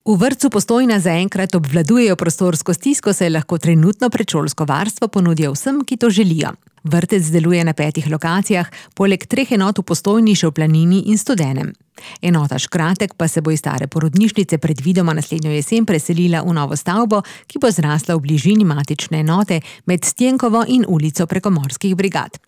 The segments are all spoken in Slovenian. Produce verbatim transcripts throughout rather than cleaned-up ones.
V vrtcu Postojna zaenkrat obvladujejo prostorsko stisko, saj lahko trenutno predšolsko varstvo ponudijo vsem, ki to želijo. Vrtec deluje na petih lokacijah, poleg treh enot v Postojni še v Planini in Studenem. Enota Škratek pa se bo iz stare porodnišnice predvidoma naslednjo jesen preselila v novo stavbo, ki bo zrasla v bližini matične enote med Stjenkovo in ulico Prekomorskih brigad.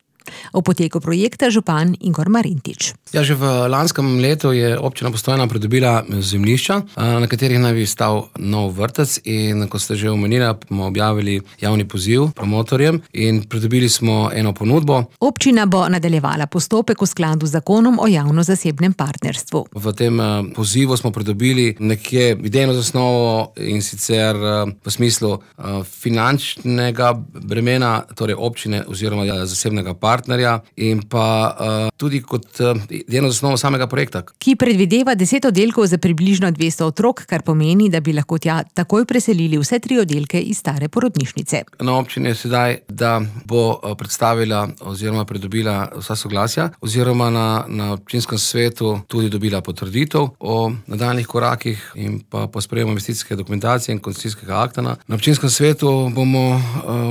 O poteku projekta župan Igor Marintič. Ja, že v lanskem letu je občina Postojna pridobila zemljišča, na katerih naj bi stal nov vrtec, in kot ste že omenili, bomo objavili javni poziv promotorjem in pridobili smo eno ponudbo. Občina bo nadaljevala postopek v skladu z zakonom o javno-zasebnem partnerstvu. V tem pozivu smo pridobili nekje idejno zasnovo, in sicer v smislu finančnega bremena, torej občine oziroma zasebnega partnerstva, partnerja in pa uh, tudi kot uh, eno zasnovo samega projekta. Ki predvideva deset oddelkov za približno dvesto otrok, kar pomeni, da bi lahko tja takoj preselili vse tri oddelke iz stare porodnišnice. Na občini je sedaj, da bo predstavila oziroma pridobila vsa soglasja oziroma na, na občinskem svetu tudi dobila potrditev o nadaljnjih korakih in pa po sprejemu investicijske dokumentacije in koncesijskega akta. Na občinskem svetu bomo uh,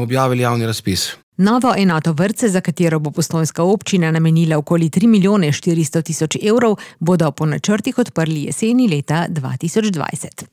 objavili javni razpis. Novo enoto vrtce, za katero bo postojnska občina namenila okoli tri milijone štiristo tisoč evrov, bodo po načrtih odprli jeseni leta dva tisoč dvajset.